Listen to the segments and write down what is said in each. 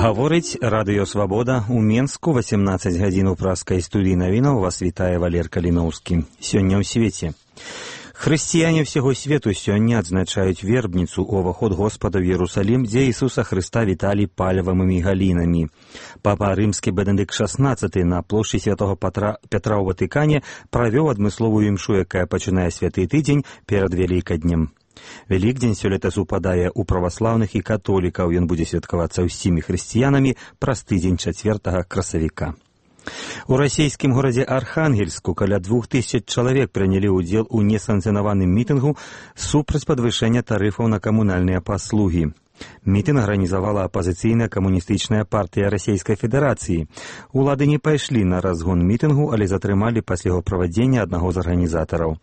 Гаворить Радыё Свабода. У Менску 18 гадзін у праскай студыі навінаў вас вітае Валер Каліноўскі. Сёння ў свеце. Хрысціяне ўсяго свету сёння адзначаюць вербніцу, уваход Господа ў Иерусалим, дзе Ісуса Хрыста віталі палевымі галінамі. Папа Рымскі Бенедыкт XVI на плошчы Святого Петра ў Ватыкане правёў адмысловую імшу, якая пачынае святы тыдзень перад Вялікаднем. Вялікдзень сёлета супадае ў праваслаўных і католікаў. Ён будзе святкавацца ўсімі хрысціянамі праз тыдзень 4 красавіка. У расійскім горадзе Архангельску каля 2000 чалавек прынялі ўдзел у несанкцыянаваным мітынгу супраць падвышэння тарыфаў на камунальныя паслугі. Мітынг арганізавала апазіцыйная камуністычная партыя Расійскай Федэрацыі. Улады не пайшлі на разгон мітынгу, але затрымалі пасля яго правядзення аднаго з арганізатараў.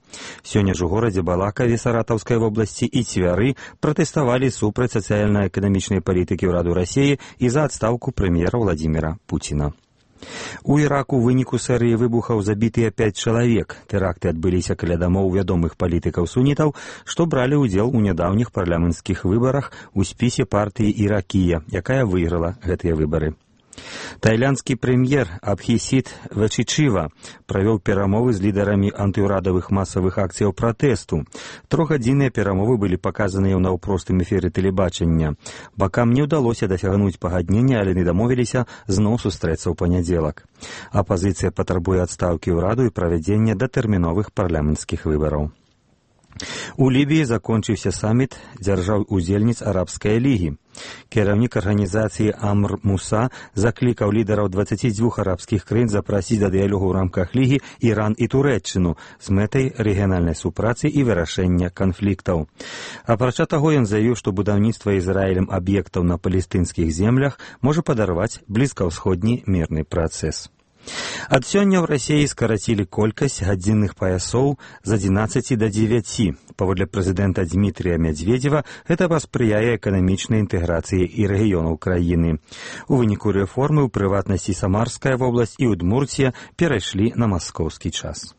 Сёння ж у горадзе Балакаве Саратаўскай вобласці і Цвяры пратэставалі супраць сацыяльна-эканамічнай палітыкі ўраду Расіі і за адстаўку прэм'ера Владзіміра Пуціна. У Іраку ў выніку серыі выбухаў забітыя 5 чалавек. Тэракты адбыліся каля дамоў вядомых палітыкаў-сунітаў, што бралі ўдзел у нядаўніх парламенцкіх выбарах у спісе партыі Іракія, якая выйграла гэтыя выбары. Тайландскі прэм'ер Абхісіт Вачичива правёў перамовы з лідарамі антыўрадавых масавых акцыяў пратэсту. Трохгадзінныя перамовы былі паказаныя ў наўпростым эфіры тэлебачання. Бакам не ўдалося дасягнуць пагаднення, але не дамовіліся зноў сустрэцца ў панядзелак. Апазіцыя патрабуе адстаўкі ўраду і правядзення датэрміновых парламенцкіх выбараў. У Лібіі закончыўся саміт дзяржаў-удзельніц Арабскай лігі. Кіраўнік арганізацыі Амр Муса заклікаў лідараў 22 арабскіх краін запрасіць да дыялогу ў рамках лігі Іран і Турэччыну з мэтай рэгіянальнай супрацы і вырашэння канфліктаў. Апрача таго, ён заявіў, што будаўніцтва Ізраілем аб'ектаў на палестынскіх землях можа падарваць блізкаўсходні мірны працэс. Ад сёння ў Расіі скарацілі колькасць гадзінных паясоў з 11 да 9. Паводле прэзідэнта Дмітрія Мядзведзева, гэта паспрыяе эканамічнай інтэграцыі і рэгіёнаў краіны. У выніку рэформы, у прыватнасці Самарская вобласць і Удмурція перайшлі на маскоўскі час.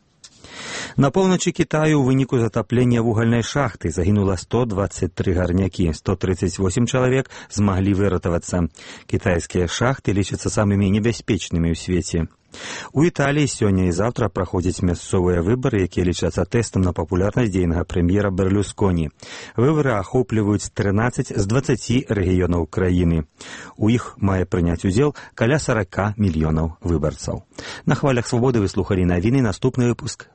На поўначы Кітаю ў выніку затаплення вугальнай шахты загінула 123 гарнякі, 138 чалавек змаглі выратавацца. Кітайскія шахты лічацца самымі небяспечнымі ў свеце. У Італіі сёння і заўтра праходзяць мясцовыя выбары, якія лічацца тэстам на папулярнасць дзейнага прэм'ера Берлюсконі. Выбары ахопліваюць 13 з 20 рэгіёнаў краіны. У іх мае прыняць удзел каля 40 мільёнаў выбарцаў. На хвалях Свабоды вы слухалі навіны, наступны выпуск